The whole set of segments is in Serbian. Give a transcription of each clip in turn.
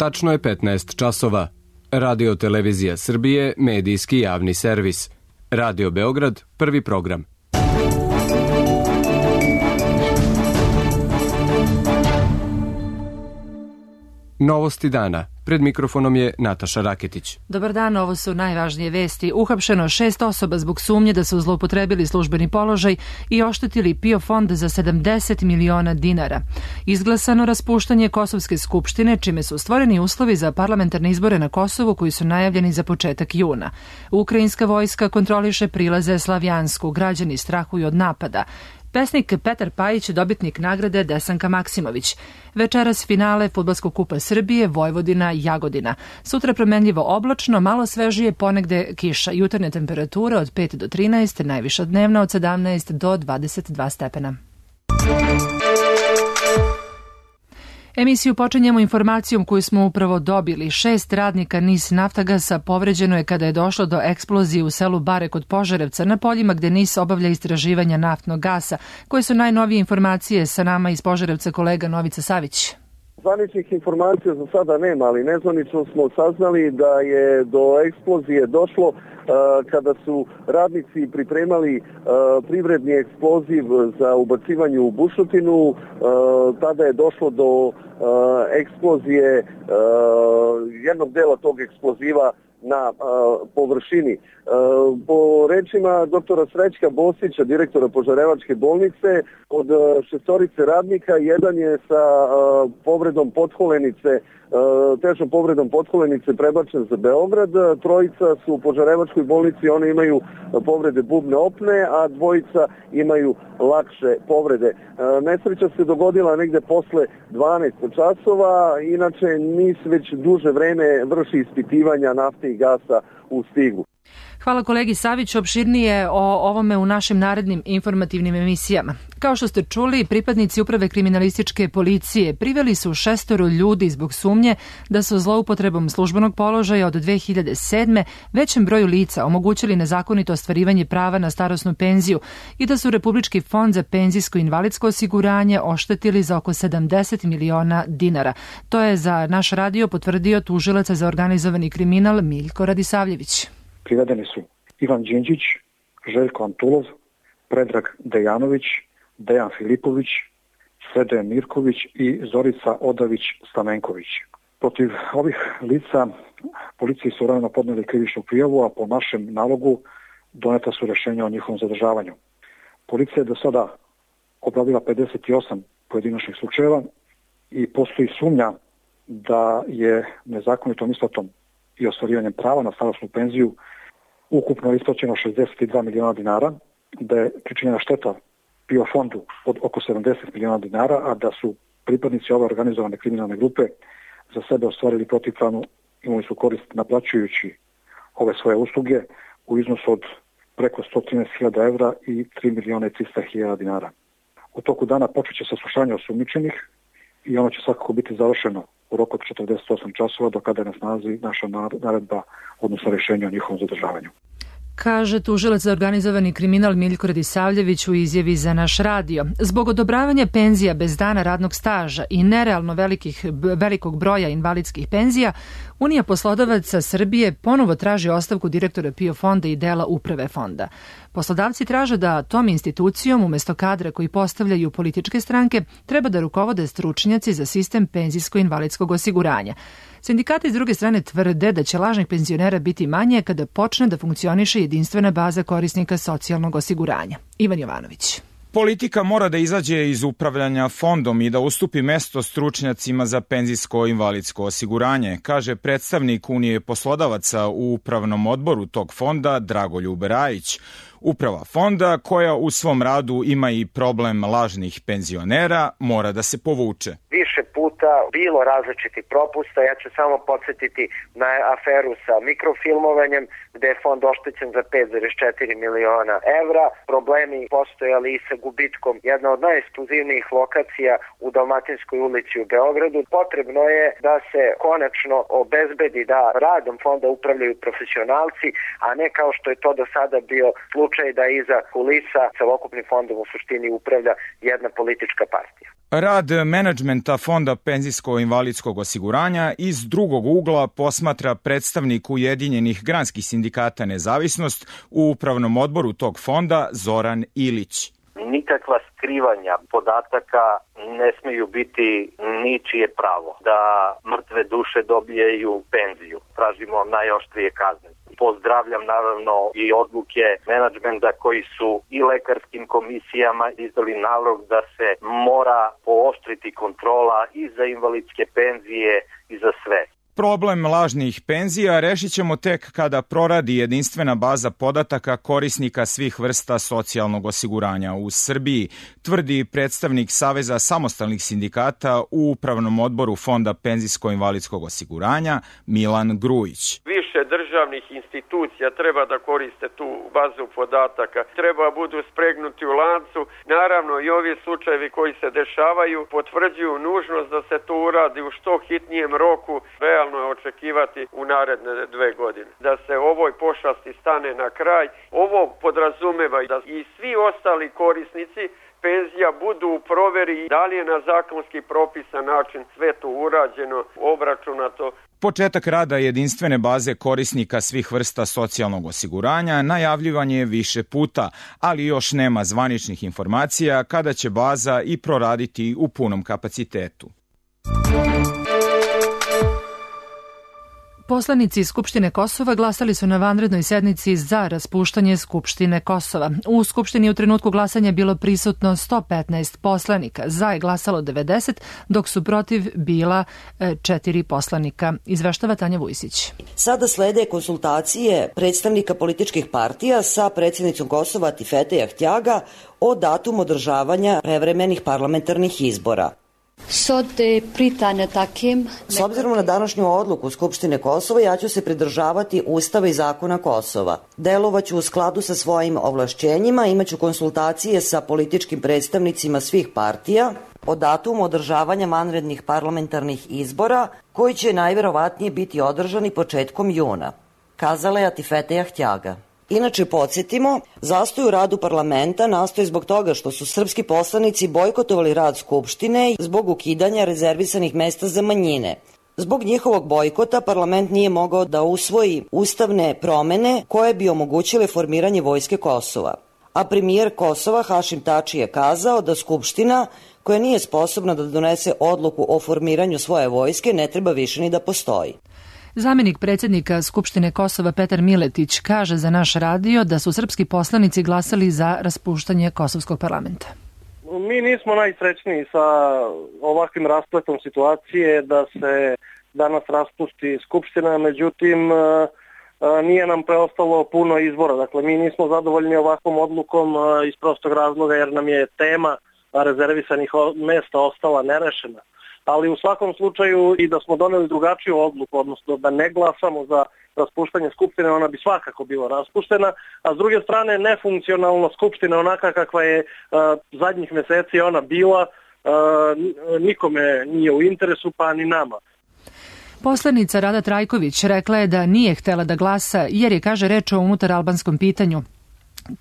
Tačno je 15 časova. Radio Televizija Srbije, medijski javni servis. Radio Beograd, prvi program. Novosti dana. Pred mikrofonom je Nataša Raketić. Dobar dan, ovo su najvažnije vesti. Uhapšeno 6 osoba zbog sumnje da su zloupotrebili službeni položaj i oštetili PIO fond za 70 miliona dinara. Izglasano raspuštanje Kosovske skupštine, čime su stvoreni uslovi za parlamentarne izbore na Kosovu koji su najavljeni za početak juna. Ukrajinska vojska kontroliše prilaze Slavjansku, građani strahuju od napada. Pesnik Petar Pajić, dobitnik nagrade Desanka Maksimović. Večeras finale Fudbalskog kupa Srbije, Vojvodina, Jagodina. Sutra promenljivo oblačno, malo svežije, ponegde kiša. Jutarnje temperature od 5 do 13, najviša dnevna od 17 do 22 stepena. Emisiju počinjemo informacijom koju smo upravo dobili. 6 radnika NIS Naftagasa povređeno je kada je došlo do eksplozije u selu Bare kod Požarevca na poljima gde NIS obavlja istraživanja naftnog gasa. Koje su najnovije informacije? Sa nama iz Požarevca kolega Novica Savić. Zvaničnih informacija za sada nema, ali nezvanično smo saznali da je do eksplozije došlo kada su radnici pripremali privredni eksploziv za ubacivanje u bušotinu. Tada je došlo do eksplozije jednog dela tog eksploziva na površini. Po rečima doktora Srećka Bosića, direktora Požarevačke bolnice, od 6 radnika, jedan je sa povredom potkolenice, težom povredom potkolenice prebačen za Beograd. 3 su u Požarevačkoj bolnici, oni imaju povrede bubne opne, a 2 imaju lakše povrede. Nesreća se dogodila negde posle 12 časova, inače NIS već duže vreme vrši ispitivanja nafte i gasa u Stigu. Hvala kolegi Saviću, opširnije o ovome u našim narednim informativnim emisijama. Kao što ste čuli, pripadnici Uprave kriminalističke policije priveli su 6 ljudi zbog sumnje da su zloupotrebom službenog položaja od 2007. većem broju lica omogućili nezakonito ostvarivanje prava na starosnu penziju i da su Republički fond za penzijsko i invalidsko osiguranje oštetili za oko 70 miliona dinara. To je za naš radio potvrdio tužilac za organizovani kriminal Miljko Radisavljević. Privedeni su Ivan Đinđić, Željko Antulov, Predrag Dejanović, Dejan Filipović, Sredoje Mirković i Zorica Odavić-Stamenković. Protiv ovih lica policiji su rano podneli krivičnu prijavu, a po našem nalogu doneta su rješenja o njihovom zadržavanju. Policija je do sada obradila 58 pojedinačnih slučajeva i postoji sumnja da je nezakonitom isplatom i ostvarivanjem prava na starosnu penziju ukupno isplaćeno 62 miliona dinara, da je pričinjena šteta PIO fondu od oko 70 miliona dinara, a da su pripadnici ove organizovane kriminalne grupe za sebe ostvarili protivpravnu imovinsku korist naplaćujući ove svoje usluge u iznosu od preko 113.000 evra i 3 miliona i 300.000 dinara. U toku dana počet će saslušanje osumnjičenih i ono će svakako biti završeno u roku od 48 časova do kada je na snazi naša naredba, odnosno rješenje o njihovom zadržavanju. Kaže tužilac za organizovani kriminal Miljko Radisavljević u izjavi za naš radio. Zbog odobravanja penzija bez dana radnog staža i nerealno velikog broja invalidskih penzija, Unija poslodavaca Srbije ponovo traži ostavku direktora PIO fonda i dela uprave fonda. Poslodavci traže da tom institucijom, umesto kadra koji postavljaju političke stranke, treba da rukovode stručnjaci za sistem penzijsko-invalidskog osiguranja. Sindikati s druge strane tvrde da će lažnih penzionera biti manje kada počne da funkcioniše jedinstvena baza korisnika socijalnog osiguranja. Ivan Jovanović. Politika mora da izađe iz upravljanja fondom i da ustupi mesto stručnjacima za penzijsko-invalidsko osiguranje, kaže predstavnik Unije poslodavaca u upravnom odboru tog fonda Dragoljub Rajić. Uprava fonda, koja u svom radu ima i problem lažnih penzionera, mora da se povuče. Više puta bilo različitih propusta. Ja ću samo podsjetiti na aferu sa mikrofilmovanjem gde je fond oštećen za 5,4 miliona evra. Problemi postojali i sa gubitkom jedna od najekskluzivnijih lokacija u Dalmatinskoj ulici u Beogradu. Potrebno je da se konačno obezbedi da radom fonda upravljaju profesionalci, a ne kao što je to do sada bio slučaj da iza kulisa celokupnim fondom u suštini upravlja jedna politička partija. Rad menadžmenta Fonda penzijsko-invalidskog osiguranja iz drugog ugla posmatra predstavnik Ujedinjenih granskih sindikata Nezavisnost u upravnom odboru tog fonda Zoran Ilić. Nikakva skrivanja podataka ne smeju biti ničije pravo. Da mrtve duše dobijaju penziju. Tražimo najoštrije kazne. Pozdravljam naravno i odluke menadžmenta koji su i lekarskim komisijama izdali nalog da se mora pooštriti kontrola i za invalidske penzije i za sve. Problem lažnih penzija rešit ćemo tek kada proradi jedinstvena baza podataka korisnika svih vrsta socijalnog osiguranja u Srbiji, tvrdi predstavnik Saveza samostalnih sindikata u upravnom odboru Fonda penzijsko-invalidskog osiguranja Milan Grujić. Više državnih institucija treba da koriste tu bazu podataka, treba budu spregnuti u lancu. Naravno i ovi slučajevi koji se dešavaju potvrđuju nužnost da se to uradi u što hitnijem roku. Realno je očekivati u naredne 2 godine. Da se ovoj pošasti stane na kraj. Ovo podrazumeva da i svi ostali korisnici penzija budu u proveri da li je na zakonski propisan način sve to urađeno, obračunato. Početak rada jedinstvene baze korisnika svih vrsta socijalnog osiguranja najavljivan je više puta, ali još nema zvaničnih informacija kada će baza i proraditi u punom kapacitetu. Poslanici Skupštine Kosova glasali su na vanrednoj sednici za raspuštanje Skupštine Kosova. U Skupštini u trenutku glasanja bilo prisutno 115 poslanika. Za je glasalo 90, dok su protiv bila 4 poslanika. Izveštava Tanja Vujsić. Sada slede konsultacije predstavnika političkih partija sa predsjednicom Kosova Atifete Ahtiaga o datumu održavanja prevremenih parlamentarnih izbora. S obzirom na današnju odluku Skupštine Kosova, ja ću se pridržavati Ustava i zakona Kosova. Delovaću u skladu sa svojim ovlašćenjima, imaću konsultacije sa političkim predstavnicima svih partija o datumu održavanja vanrednih parlamentarnih izbora, koji će najverovatnije biti održani početkom juna, kazala je Atifete Ahtiaga. Inače, podsjetimo, zastoj u radu parlamenta nastoji zbog toga što su srpski poslanici bojkotovali rad Skupštine zbog ukidanja rezervisanih mesta za manjine. Zbog njihovog bojkota parlament nije mogao da usvoji ustavne promene koje bi omogućile formiranje vojske Kosova. A premijer Kosova Hašim Tači je kazao da Skupština, koja nije sposobna da donese odluku o formiranju svoje vojske, ne treba više ni da postoji. Zamenik predsjednika Skupštine Kosova Petar Miletić kaže za naš radio da su srpski poslanici glasali za raspuštanje Kosovskog parlamenta. Mi nismo najsrećniji sa ovakvim raspletom situacije da se danas raspusti Skupština, međutim nije nam preostalo puno izbora. Dakle, mi nismo zadovoljni ovakvom odlukom iz prostog razloga jer nam je tema rezervisanih mesta ostala nerešena. Ali u svakom slučaju i da smo doneli drugačiju odluku, odnosno da ne glasamo za raspuštanje Skupštine, ona bi svakako bila raspuštena, a s druge strane nefunkcionalna Skupština onaka kakva je zadnjih meseci ona bila, nikome nije u interesu, pa ni nama. Poslanica Rada Trajković rekla je da nije htela da glasa jer je, kaže, reč o unutaralbanskom pitanju,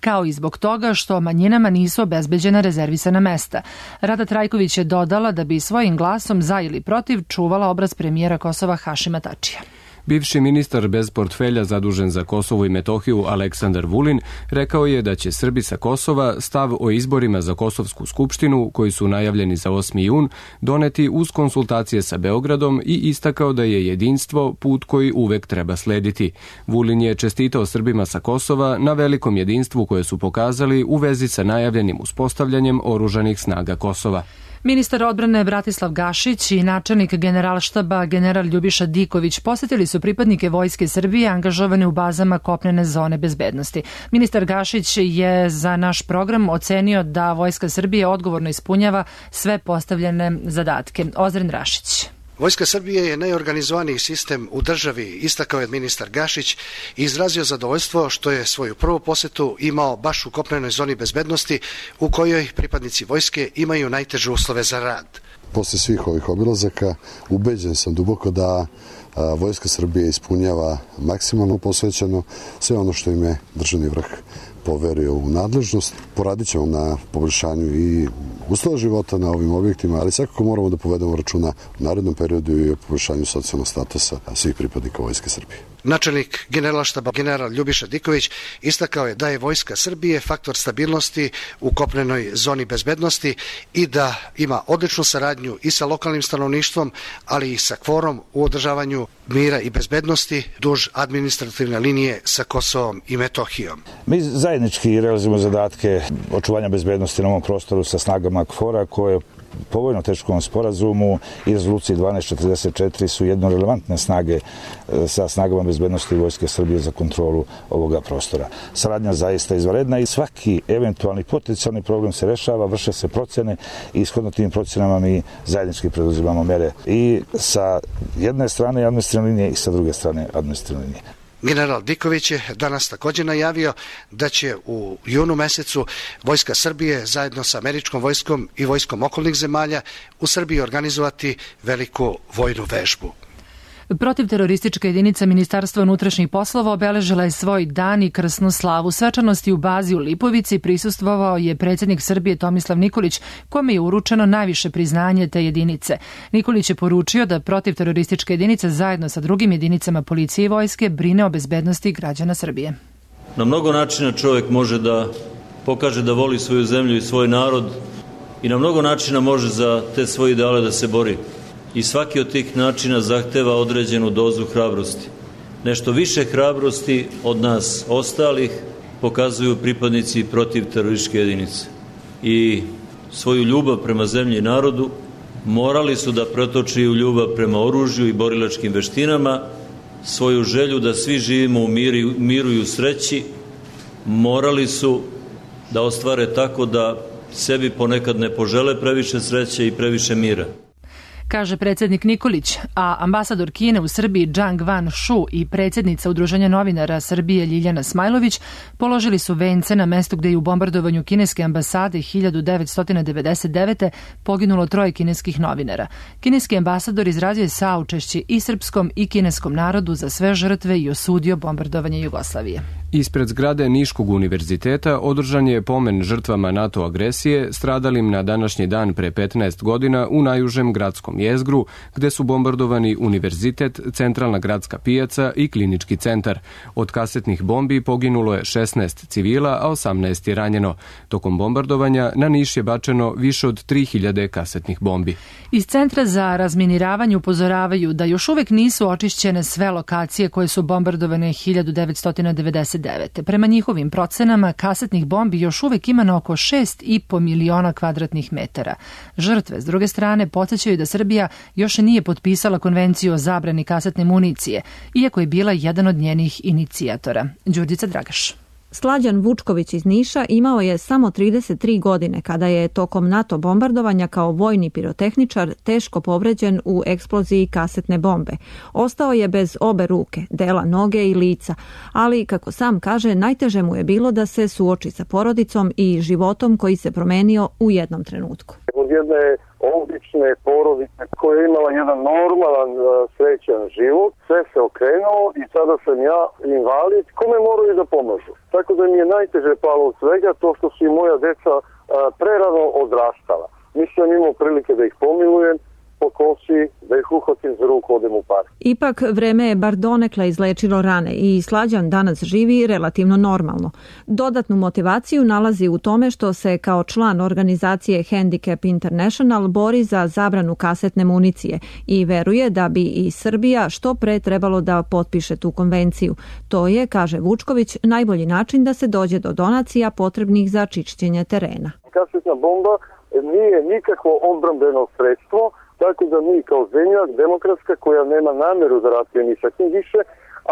kao i zbog toga što manjinama nisu obezbeđena rezervisana mesta. Rada Trajković je dodala da bi svojim glasom za ili protiv čuvala obraz premijera Kosova Hašima Tačija. Bivši ministar bez portfelja zadužen za Kosovo i Metohiju Aleksandar Vulin rekao je da će Srbi sa Kosova stav o izborima za Kosovsku skupštinu, koji su najavljeni za 8. jun, doneti uz konsultacije sa Beogradom i istakao da je jedinstvo put koji uvek treba slediti. Vulin je čestitao Srbima sa Kosova na velikom jedinstvu koje su pokazali u vezi sa najavljenim uspostavljanjem oružanih snaga Kosova. Ministar odbrane Bratislav Gašić i načelnik Generalštaba general Ljubiša Diković posjetili su pripadnike Vojske Srbije angažovane u bazama kopnene zone bezbednosti. Ministar Gašić je za naš program ocenio da Vojska Srbije odgovorno ispunjava sve postavljene zadatke. Ozren Rašić. Vojska Srbije je najorganizovaniji sistem u državi, istakao je ministar Gašić i izrazio zadovoljstvo što je svoju prvu posetu imao baš u kopnenoj zoni bezbednosti u kojoj pripadnici vojske imaju najteže uslove za rad. Posle svih ovih obilazaka ubeđen sam duboko da Vojska Srbije ispunjava maksimalno posvećeno sve ono što im je državni vrh poverio u nadležnost. Poradit ćemo na poboljšanju i uslova života na ovim objektima, ali svakako moramo da povedemo računa u narednom periodu i o poboljšanju socijalnog statusa svih pripadnika Vojske Srbije. Načelnik Generalštaba general Ljubiša Diković istakao je da je Vojska Srbije faktor stabilnosti u kopnenoj zoni bezbednosti i da ima odličnu saradnju i sa lokalnim stanovništvom, ali i sa KFOR-om u održavanju mira i bezbednosti duž administrativne linije sa Kosovom i Metohijom. Mi zajednički realizujemo zadatke očuvanja bezbednosti na ovom prostoru sa snagama KFOR-a koje po vojno-tehničkom sporazumu i rezoluciji 1244 su jedno relevantne snage sa snagama bezbednosti Vojske Srbije za kontrolu ovoga prostora. Saradnja zaista izvanredna i svaki eventualni potencijalni problem se rešava, vrše se procene i ishodno tim procenama mi zajednički preduzimamo mere i sa jedne strane administrativne linije i sa druge strane administrativne linije. General Diković je danas također najavio da će u junu mesecu Vojska Srbije zajedno sa američkom vojskom i vojskom okolnih zemalja u Srbiji organizovati veliku vojnu vežbu. Protivteroristička jedinica Ministarstva unutrašnjih poslova obeležila je svoj dan i krsnu slavu. Svečanosti u bazi u Lipovici prisustvovao je predsjednik Srbije Tomislav Nikolić, kome je uručeno najviše priznanje te jedinice. Nikolić je poručio da protivteroristička jedinica zajedno sa drugim jedinicama policije i vojske brine o bezbednosti građana Srbije. Na mnogo načina čovjek može da pokaže da voli svoju zemlju i svoj narod i na mnogo načina može za te svoje ideale da se bori. I svaki od tih načina zahteva određenu dozu hrabrosti. Nešto više hrabrosti od nas ostalih pokazuju pripadnici protivterorističke jedinice. I svoju ljubav prema zemlji i narodu morali su da pretoči u ljubav prema oružju i borilačkim veštinama, svoju želju da svi živimo u miru i u sreći, morali su da ostvare tako da sebi ponekad ne požele previše sreće i previše mira, kaže predsjednik Nikolić, a ambasador Kine u Srbiji Zhang Van-Shu i predsjednica Udruženja novinara Srbije Ljiljana Smajlović položili su vence na mestu gdje je u bombardovanju kineske ambasade 1999. poginulo 3 kineskih novinara. Kineski ambasador izrazio je saučešće i srpskom i kineskom narodu za sve žrtve i osudio bombardovanje Jugoslavije. Ispred zgrade Niškog univerziteta održan je pomen žrtvama NATO agresije stradalim na današnji dan pre 15 godina u najužem gradskom jezgru, gde su bombardovani univerzitet, centralna gradska pijaca i klinički centar. Od kasetnih bombi poginulo je 16 civila, a 18 je ranjeno. Tokom bombardovanja na Niš je bačeno više od 3000 kasetnih bombi. Iz Centra za razminiravanje upozoravaju da još uvek nisu očišćene sve lokacije koje su bombardovane 1999. Prema njihovim procenama, kasetnih bombi još uvek ima na oko 6,5 miliona kvadratnih metara. Žrtve, s druge strane, podsjećaju da Srbija još nije potpisala konvenciju o zabrani kasetne municije, iako je bila jedan od njenih inicijatora. Đurđica Dragaš. Slađan Vučković iz Niša imao je samo 33 godine kada je tokom NATO bombardovanja kao vojni pirotehničar teško povređen u eksploziji kasetne bombe. Ostao je bez obe ruke, dela noge i lica, ali, kako sam kaže, najteže mu je bilo da se suoči sa porodicom i životom koji se promenio u jednom trenutku. Od jedne obične porodice koja je imala jedan normalan, srećan život, sve se okrenuo i sada sam ja invalid, kome moraju da pomažu. Tako da mi je najteže palo od svega to što su i moja deca prerano odrastala. Nisam imao prilike da ih pomilujem po kosi, da ih uhvatim za ruku, odem u park. Ipak vreme je bar donekle izlečilo rane i Slađan danas živi relativno normalno. Dodatnu motivaciju nalazi u tome što se kao član organizacije Handicap International bori za zabranu kasetne municije i veruje da bi i Srbija što pre trebalo da potpiše tu konvenciju. To je, kaže Vučković, najbolji način da se dođe do donacija potrebnih za čišćenje terena. Kasetna bomba nije nikakvo odbrambeno sredstvo, tako da mi kao zemlja demokratska koja nema nameru da ratuje ni sa kim više,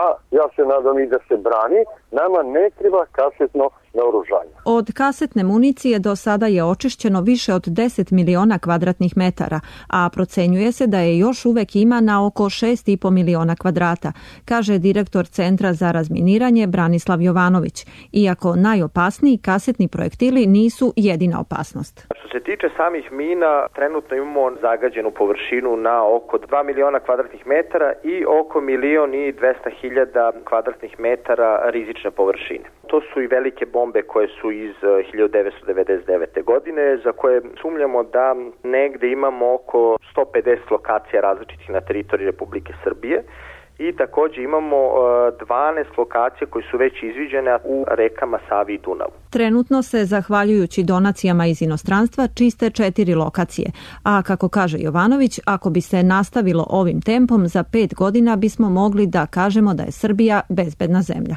a ja se nadam i da se brani, nama ne treba kasetno naoružanje. Od kasetne municije do sada je očišćeno više od 10 miliona kvadratnih metara, a procenjuje se da je još uvek ima na oko 6,5 miliona kvadrata, kaže direktor Centra za razminiranje Branislav Jovanović, iako najopasniji kasetni projektili nisu jedina opasnost. Što se tiče samih mina, trenutno imamo zagađenu površinu na oko 2 miliona kvadratnih metara i oko 1.200.000 kvadratnih metara rizične površine. To su i velike bombe koje su iz 1999. godine, za koje sumnjamo da negde imamo oko 150 lokacija različitih na teritoriji Republike Srbije. I takođe imamo 12 lokacija koje su već izviđene u rekama Savi i Dunavu. Trenutno se, zahvaljujući donacijama iz inostranstva, čiste 4 lokacije. A kako kaže Jovanović, ako bi se nastavilo ovim tempom, za 5 godina bismo mogli da kažemo da je Srbija bezbedna zemlja.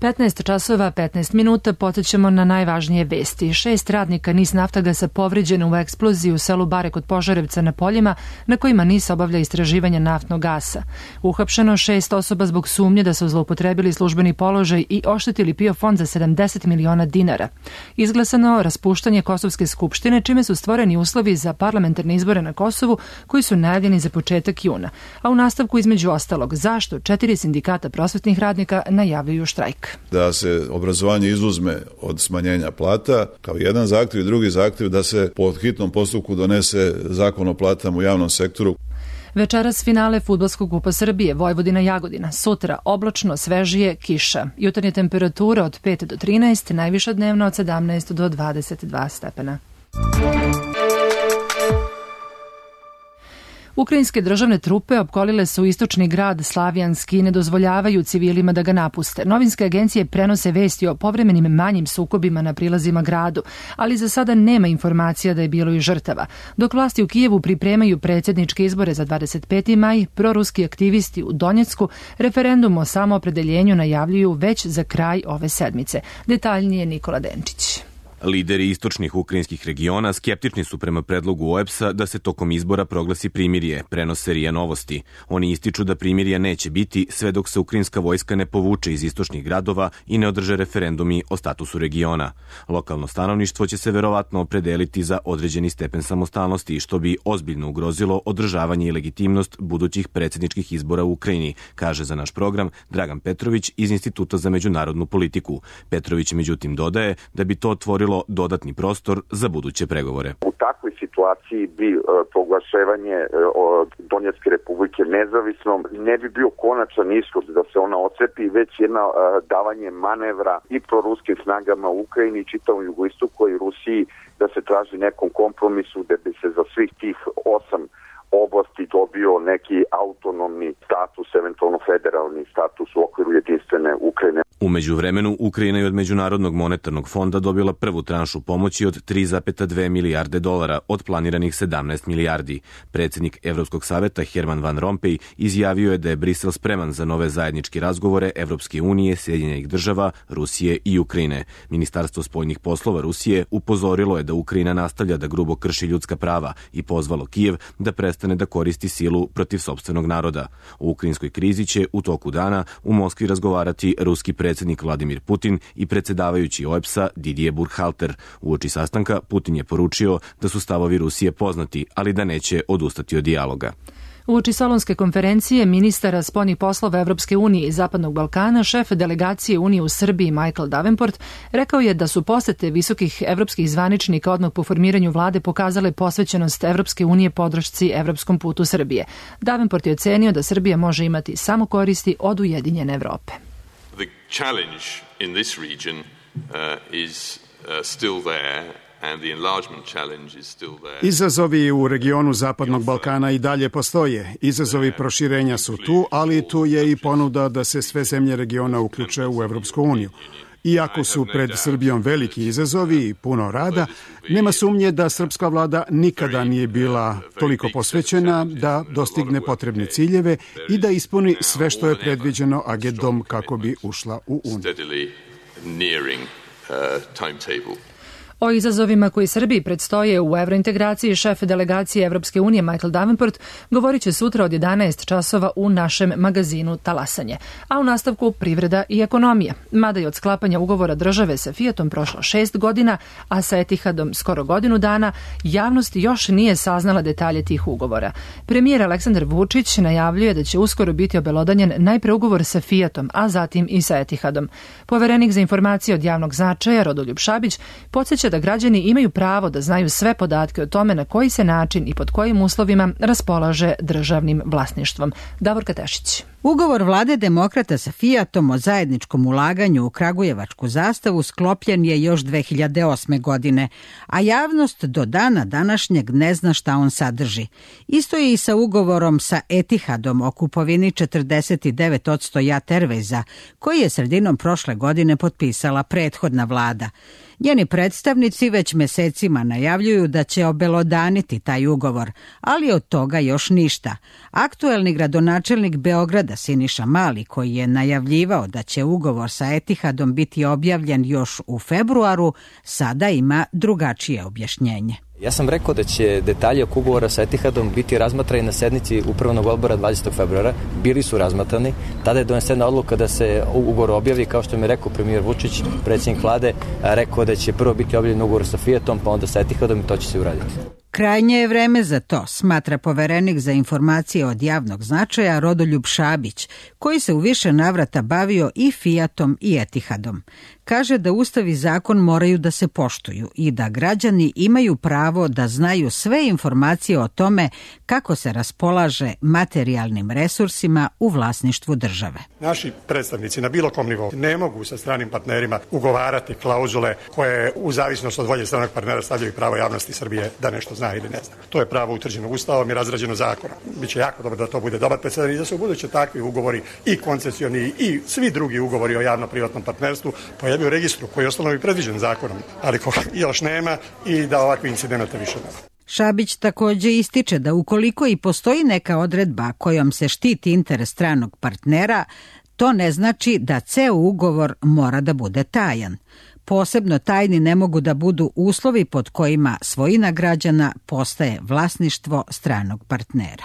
15 časova, 15 minuta, podsjećamo na najvažnije vesti. 6 radnika NIS Naftagasa povređeno u eksploziji u selu Bare kod Požarevca na poljima na kojima NIS obavlja istraživanje naftnog gasa. Uhapšeno 6 osoba zbog sumnje da su zloupotrebili službeni položaj i oštetili PIO fond za 70 miliona dinara. Izglasano raspuštanje Kosovske skupštine, čime su stvoreni uslovi za parlamentarne izbore na Kosovu koji su najavljeni za početak juna. A u nastavku, između ostalog, zašto 4 sindikata prosvetnih radnika najavljuju štrajk. Da se obrazovanje izuzme od smanjenja plata kao jedan zahtev i drugi zahtev da se po hitnom postupku donese zakon o platama u javnom sektoru. Večeras finale Fudbalskog kupa Srbije, Vojvodina Jagodina. Sutra oblačno, svežije, kiša. Jutarnja temperatura od 5 do 13, najviša dnevna od 17 do 22 stepena. Ukrajinske državne trupe opkolile su istočni grad Slavijanski i ne dozvoljavaju civilima da ga napuste. Novinske agencije prenose vesti o povremenim manjim sukobima na prilazima gradu, ali za sada nema informacija da je bilo i žrtava. Dok vlasti u Kijevu pripremaju predsjedničke izbore za 25. maj, proruski aktivisti u Donjecku referendum o samoopredeljenju najavljuju već za kraj ove sedmice. Detaljnije Nikola Denčić. Lideri istočnih ukrajinskih regiona skeptični su prema predlogu OEBS-a da se tokom izbora proglasi primirje, prenose RIA Novosti. Oni ističu da primirja neće biti sve dok se ukrajinska vojska ne povuče iz istočnih gradova i ne održe referendumi o statusu regiona. Lokalno stanovništvo će se verovatno opredeliti za određeni stepen samostalnosti, što bi ozbiljno ugrozilo održavanje i legitimnost budućih predsjedničkih izbora u Ukrajini, kaže za naš program Dragan Petrović iz Instituta za međunarodnu politiku. Petrović međutim dodaje da bi to otvorilo dodatni prostor za buduće pregovore. U takvoj situaciji bi proglašavanje Donjecke republike nezavisnom ne bi bio konačan ishod da se ona ocepi, već jedna davanje manevra i proruskim snagama u Ukrajini i čitavom jugoistoku i Rusiji da se traži nekom kompromisu da bi se za svih tih 8 oblasti dobio neki autonomni status, eventualno federalni status u okviru jedinstvene Ukrajine. U međuvremenu, Ukrajina je od Međunarodnog monetarnog fonda dobila prvu tranšu pomoći od 3,2 milijarde dolara od planiranih 17 milijardi. Predsjednik Evropskog saveta Herman Van Rompuy izjavio je da je Brisel spreman za nove zajedničke razgovore Evropske unije, Sjedinjenih država, Rusije i Ukrajine. Ministarstvo spoljnih poslova Rusije upozorilo je da Ukrajina nastavlja da grubo krši ljudska prava i pozvalo Kijev da prestane da koristi silu protiv sopstvenog naroda. O ukrajinskoj krizi će u toku dana u Moskvi razgovarati ruski predsjednik Vladimir Putin i predsjedavajući OEBS-a Didier Burkhalter. Uoči sastanka Putin je poručio da su stavovi Rusije poznati, ali da neće odustati od dijaloga. Uoči Solunske konferencije ministara spoljnih poslova Evropske unije i Zapadnog Balkana, šef delegacije Unije u Srbiji Michael Davenport rekao je da su posete visokih evropskih zvaničnika odmah po formiranju vlade pokazale posvećenost Evropske unije podršci evropskom putu Srbije. Davenport je ocenio da Srbija može imati samo koristi od ujedinjene Evrope. The challenge in this region is still there. Izazovi u regionu Zapadnog Balkana i dalje postoje. Izazovi proširenja su tu, ali tu je i ponuda da se sve zemlje regiona uključe u Evropsku uniju. Iako su pred Srbijom veliki izazovi i puno rada, nema sumnje da srpska vlada nikada nije bila toliko posvećena da dostigne potrebne ciljeve i da ispuni sve što je predviđeno agendom kako bi ušla u Uniju. O izazovima koji Srbiji predstoje u evrointegraciji šef delegacije Evropske unije Michael Davenport govorit će sutra od 11 časova u našem magazinu Talasanje. A u nastavku privreda i ekonomija. Mada je od sklapanja ugovora države sa Fiatom prošlo 6 godina, a sa Etihadom skoro godinu dana, javnost još nije saznala detalje tih ugovora. Premijer Aleksandar Vučić najavljuje da će uskoro biti obelodanjen najpre ugovor sa Fiatom, a zatim i sa Etihadom. Poverenik za informacije od javnog značaja Rodoljub Šabić podsjeća da građani imaju pravo da znaju sve podatke o tome na koji se način i pod kojim uslovima raspolaže državnim vlasništvom. Davorka Tešić. Ugovor vlade demokrata sa Fiatom o zajedničkom ulaganju u kragujevačku zastavu sklopljen je još 2008. godine, a javnost do dana današnjeg ne zna šta on sadrži. Isto je i sa ugovorom sa Etihadom o kupovini 49% JAT Airwaysa, koji je sredinom prošle godine potpisala prethodna vlada. Njeni predstavnici već mesecima najavljuju da će obelodaniti taj ugovor, ali od toga još ništa. Aktuelni gradonačelnik Beograda Siniša Mali, koji je najavljivao da će ugovor sa Etihadom biti objavljen još u februaru, sada ima drugačije objašnjenje. Ja sam rekao da će detalje oko ugovora sa Etihadom biti razmatrani na sednici upravnog odbora 20. februara. Bili su razmatrani. Tada je donesena odluka da se ugovor objavi, kao što mi je rekao premijer Vučić, predsjednik vlade, rekao da će prvo biti objavljen ugovor sa Fiatom, pa onda sa Etihadom i to će se uraditi. Krajnje je vreme za to, smatra poverenik za informacije od javnog značaja Rodoljub Šabić, koji se u više navrata bavio i Fiatom i Etihadom. Kaže da Ustav i zakon moraju da se poštuju i da građani imaju pravo da znaju sve informacije o tome kako se raspolaže materijalnim resursima u vlasništvu države. Naši predstavnici na bilo kom nivou ne mogu sa stranim partnerima ugovarati klauzule koje u zavisnosti od volje stranog partnera stavljaju pravo javnosti Srbije da nešto zna ili ne zna. To je pravo utvrđeno Ustavom i razrađeno zakonom. Biće jako dobro da to bude dobar presedan i da se u buduće takvi ugovori i koncesioni i svi drugi ugovori o javno-privatnom partnerstvu pojavi u registru koji je ostalo i predviđen zakonom, ali još nema i da ovakvi incidenta više nema. Šabić takođe ističe da ukoliko i postoji neka odredba kojom se štiti interes stranog partnera, to ne znači da ceo ugovor mora da bude tajan. Posebno tajni ne mogu da budu uslovi pod kojima svojina građana postaje vlasništvo stranog partnera.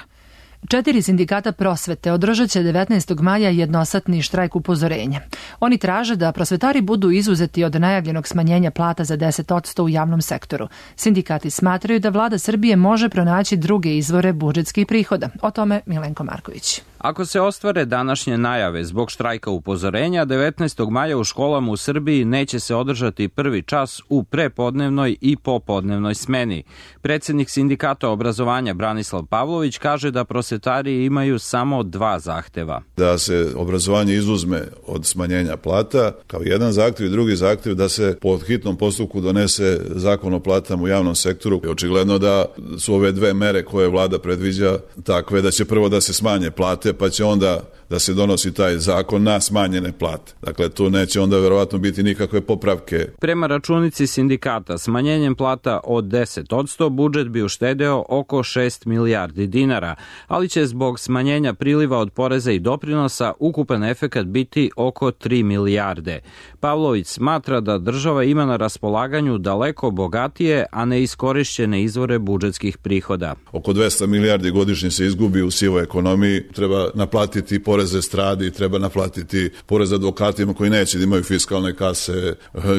4 sindikata prosvete održat će 19. maja jednosatni štrajk upozorenja. Oni traže da prosvetari budu izuzeti od najavljenog smanjenja plata za 10% u javnom sektoru. Sindikati smatraju da vlada Srbije može pronaći druge izvore budžetskih prihoda. O tome Milenko Marković. Ako se ostvare današnje najave zbog štrajka upozorenja, 19. maja u školama u Srbiji neće se održati prvi čas u prepodnevnoj i popodnevnoj smeni. Predsjednik sindikata obrazovanja Branislav Pavlović kaže da prosvetari imaju samo 2 zahteva. Da se obrazovanje izuzme od smanjenja plata, kao jedan zahtjev i drugi zahtjev da se po hitnom postupku donese zakon o platama u javnom sektoru. Očigledno da su ove 2 mere koje vlada predviđa takve da će prvo da se smanje plate, pa će onda da se donosi taj zakon na smanjene plate. Dakle, tu neće onda verovatno biti nikakve popravke. Prema računici sindikata, smanjenjem plata od 10% budžet bi uštedeo oko 6 milijardi dinara, ali će zbog smanjenja priliva od poreza i doprinosa ukupan efekat biti oko 3 milijarde. Pavlović smatra da država ima na raspolaganju daleko bogatije, a neiskorišćene izvore budžetskih prihoda. Oko 200 milijardi godišnje se izgubi u sivoj ekonomiji, treba naplatiti poreze stradi, treba naplatiti porez advokatima koji neće da imaju fiskalne kase,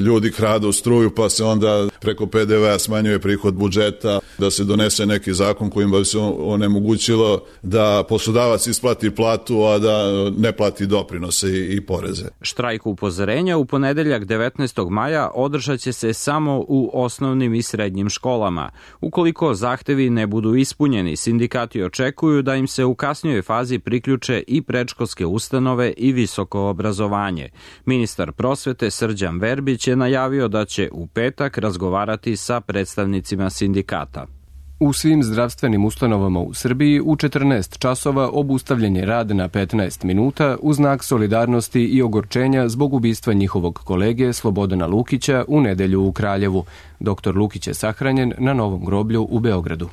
ljudi kradu struju pa se onda preko PDV-a smanjuje prihod budžeta, da se donese neki zakon kojim bi se onemogućilo da poslodavac isplati platu, a da ne plati doprinose i poreze. Štrajk upozorenja u ponedeljak 19. maja održat će se samo u osnovnim i srednjim školama. Ukoliko zahtevi ne budu ispunjeni, sindikati očekuju da im se u kasnijoj fazi priključe i predškolske ustanove i visoko obrazovanje. Ministar prosvete Srđan Verbić je najavio da će u petak razgovarati sa predstavnicima sindikata. U svim zdravstvenim ustanovama u Srbiji u 14 časova obustavljen je rad na 15 minuta u znak solidarnosti i ogorčenja zbog ubistva njihovog kolege Slobodana Lukića u nedelju u Kraljevu. Doktor Lukić je sahranjen na Novom groblju u Beogradu.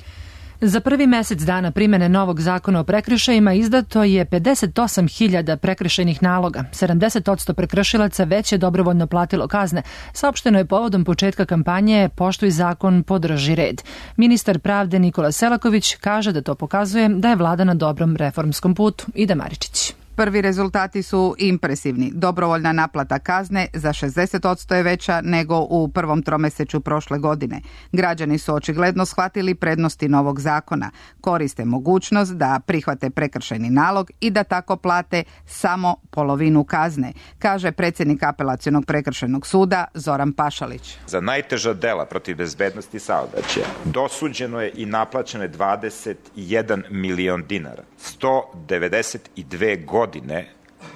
Za prvi mesec dana primene novog zakona o prekršajima izdato je 58.000 prekršajnih naloga. 70% prekršilaca već je dobrovoljno platilo kazne. Saopšteno je povodom početka kampanje Poštuj zakon, podrži red. Ministar pravde Nikola Selaković kaže da to pokazuje da je vlada na dobrom reformskom putu. Ida Maričić. Prvi rezultati su impresivni. Dobrovoljna naplata kazne za 60% je veća nego u prvom tromesečju prošle godine. Građani su očigledno shvatili prednosti novog zakona. Koriste mogućnost da prihvate prekršajni nalog i da tako plate samo polovinu kazne, kaže predsjednik Apelacionog prekršajnog suda Zoran Pašalić. Za najteža dela protiv bezbednosti saobraćaja dosuđeno je i naplaćeno je 21 milion dinara. 192 godine godine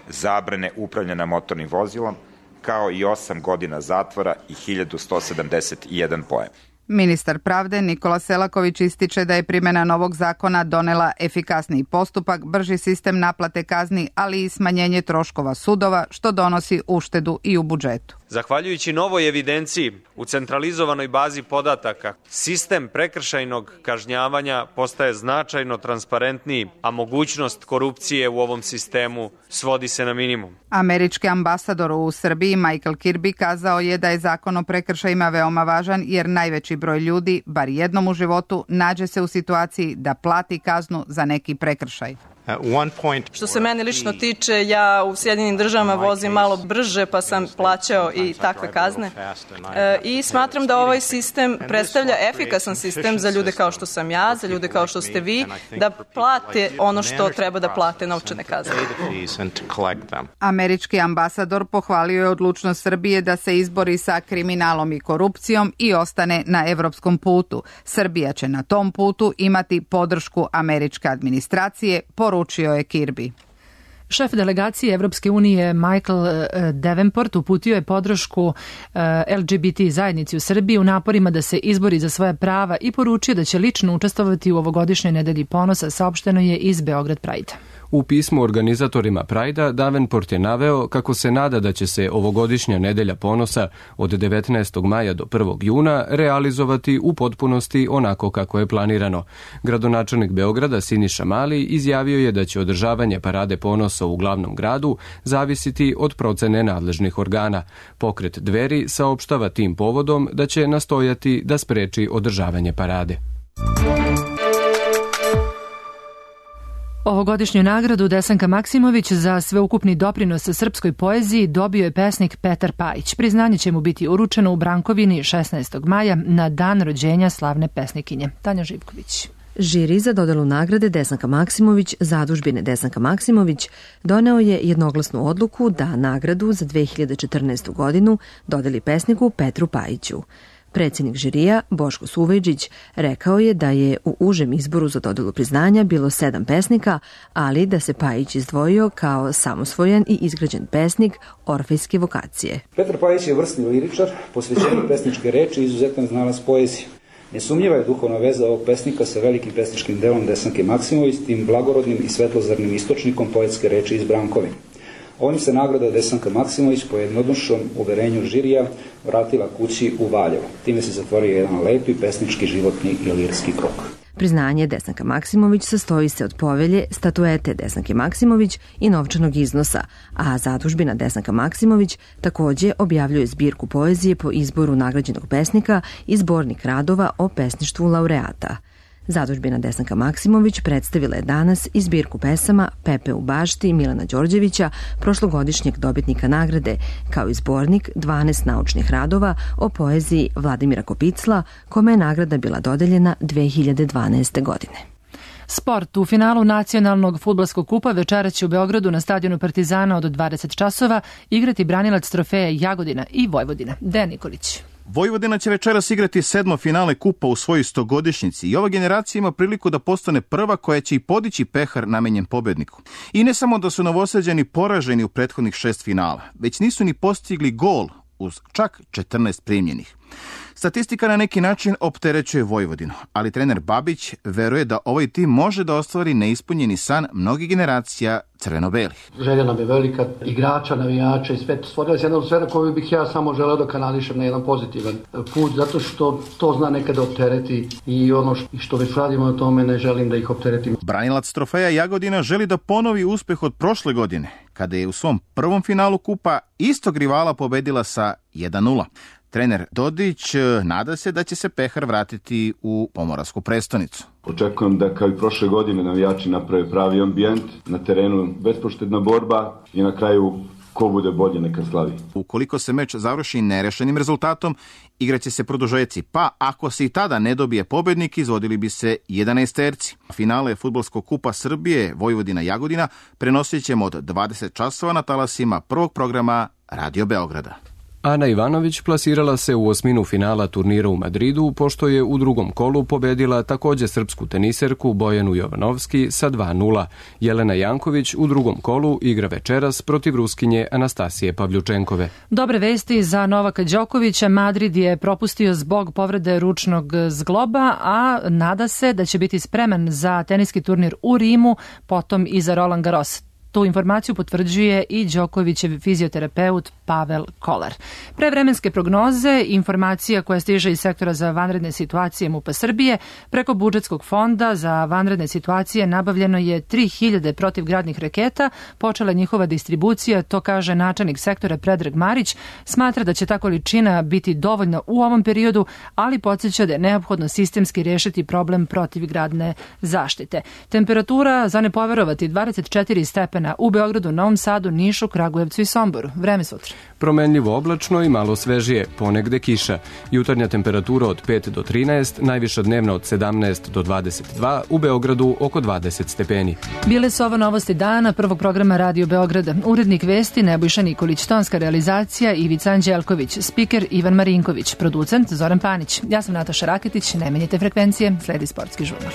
zabrane upravljanja motornim vozilom, kao i 8 godina zatvora i 1171 poen. Ministar pravde Nikola Selaković ističe da je primjena novog zakona donela efikasniji postupak, brži sistem naplate kazni, ali i smanjenje troškova sudova, što donosi uštedu i u budžetu. Zahvaljujući novoj evidenciji u centralizovanoj bazi podataka, sistem prekršajnog kažnjavanja postaje značajno transparentniji, a mogućnost korupcije u ovom sistemu svodi se na minimum. Američki ambasador u Srbiji Michael Kirby kazao je da je zakon o prekršajima veoma važan jer najveći broj ljudi, bar jednom u životu, nađe se u situaciji da plati kaznu za neki prekršaj. Što se mene lično tiče, ja u Sjedinjenim Državama vozim malo brže, pa sam plaćao i takve kazne. I smatram da ovaj sistem predstavlja efikasan sistem za ljude kao što sam ja, za ljude kao što ste vi, da plate ono što treba da plate, novčane kazne. Američki ambasador pohvalio je odlučnost Srbije da se izbori sa kriminalom i korupcijom i ostane na evropskom putu. Srbija će na tom putu imati podršku američke administracije, poručio je Kirby. Šef delegacije Evropske unije Michael Davenport uputio je podršku LGBT zajednici u Srbiji u naporima da se izbori za svoja prava i poručio da će lično učestvovati u ovogodišnjoj nedelji ponosa, saopšteno je iz Beograd Pride. U pismu organizatorima Prajda Davenport je naveo kako se nada da će se ovogodišnja nedelja ponosa od 19. maja do 1. juna realizovati u potpunosti onako kako je planirano. Gradonačelnik Beograda Siniša Mali izjavio je da će održavanje parade ponosa u glavnom gradu zavisiti od procene nadležnih organa. Pokret Dveri saopštava tim povodom da će nastojati da spreči održavanje parade. Ovogodišnju nagradu Desanka Maksimović za sveukupni doprinos srpskoj poeziji dobio je pesnik Petar Pajić. Priznanje će mu biti uručeno u Brankovini 16. maja na dan rođenja slavne pesnikinje. Tanja Živković. Žiri za dodelu nagrade Desanka Maksimović, zadužbine Desanka Maksimović, doneo je jednoglasnu odluku da nagradu za 2014. godinu dodeli pesniku Petru Pajiću. Predsjednik žirija, Boško Suvejđić, rekao je da je u užem izboru za dodelu priznanja bilo 7 pesnika, ali da se Pajić izdvojio kao samosvojan i izgrađen pesnik orfejske vokacije. Petar Pajić je vrsni liričar, posvećeni pesničke reči i izuzetan znalac poezije. Nesumnjiva je duhovna veza ovog pesnika sa velikim pesničkim delom Desanke Maksimović, tim blagorodnim i svetlozarnim istočnikom poetske reči iz Brankovine. Ovim se nagrada Desanka Maksimović po jednodušnom uverenju žirija vratila kući u Valjevo. Time se zatvorio jedan lepi pesnički, životni i lirski krug. Priznanje Desanka Maksimović sastoji se od povelje, statuete Desanke Maksimović i novčanog iznosa, a zadužbina Desanka Maksimović takođe objavljuje zbirku poezije po izboru nagrađenog pesnika i zbornik radova o pesništvu laureata. Zadužbina Desanka Maksimović predstavila je danas i zbirku pesama Pepe u bašti Milana Đorđevića, prošlogodišnjeg dobitnika nagrade, kao i zbornik 12 naučnih radova o poeziji Vladimira Kopicla, kome je nagrada bila dodeljena 2012. godine. Sport. U finalu nacionalnog fudbalskog kupa večeras će u Beogradu na stadionu Partizana od 20 časova igrati branilac trofeja Jagodina i Vojvodina. Dejan Nikolić. Vojvodina će večeras igrati 7. finale kupa u svojoj 100-godišnjici i ova generacija ima priliku da postane prva koja će i podići pehar namenjen pobedniku. I ne samo da su Novosađani poraženi u prethodnih 6 finala, već nisu ni postigli gol uz čak 14 primljenih. Statistika na neki način opterećuje Vojvodinu, ali trener Babić veruje da ovaj tim može da ostvari neispunjeni san mnogih generacija crveno-belih. Želja nam je velika, igrača, navijača i sve. Stvorila se jedna atmosfera koju bih ja samo želeo da kanališem na jedan pozitivan put, zato što to zna nekada optereti i ono što već radimo na tome ne želim da ih opteretim. Branilac trofeja Jagodina želi da ponovi uspeh od prošle godine, kada je u svom prvom finalu kupa istog rivala pobedila sa 1:0. Trener Dodić nada se da će se pehar vratiti u pomoravsku prestonicu. Očekujem da kao i prošle godine navijači naprave pravi ambijent, na terenu bespoštedna borba i na kraju ko bude bolje neka slavi. Ukoliko se meč završi nerešenim rezultatom, igraće se produžeci, pa ako se i tada ne dobije pobednik, izvodili bi se 11-terci. Finale fudbalskog kupa Srbije Vojvodina Jagodina prenosit ćemo od 20 časova na talasima prvog programa Radio Beograda. Ana Ivanović plasirala se u osminu finala turnira u Madridu, pošto je u drugom kolu pobedila takođe srpsku teniserku Bojanu Jovanovski sa 2:0. Jelena Janković u drugom kolu igra večeras protiv Ruskinje Anastasije Pavljučenkove. Dobre vesti za Novaka Đokovića. Madrid je propustio zbog povrede ručnog zgloba, a nada se da će biti spreman za teniski turnir u Rimu, potom i za Roland Garros. Tu informaciju potvrđuje i Đokovićev fizioterapeut Pavel Kolar. Pre vremenske prognoze, informacija koja stiže iz sektora za vanredne situacije MUP-a Srbije, preko budžetskog fonda za vanredne situacije nabavljeno je 3000 protivgradnih raketa, počela njihova distribucija, to kaže načelnik sektora Predrag Marić, smatra da će ta količina biti dovoljna u ovom periodu, ali podsjeća da je neophodno sistemski rešiti problem protivgradne zaštite. Temperatura, za ne poverovati, 24 stepena u Beogradu, Novom Sadu, Nišu, Kragujevcu i Somboru. Vreme sutra. Promenljivo oblačno i malo svežije, ponegde kiša. Jutarnja temperatura od 5 do 13, najviša dnevna od 17 do 22, u Beogradu oko 20 stepeni. Bile su ovo novosti dana prvog programa Radio Beograda. Urednik vesti Nebojša Nikolić, tonska realizacija Ivica Anđelković, spiker Ivan Marinković, producent Zoran Panić. Ja sam Nataša Raketić, ne menjite frekvencije, sledi sportski žurnal.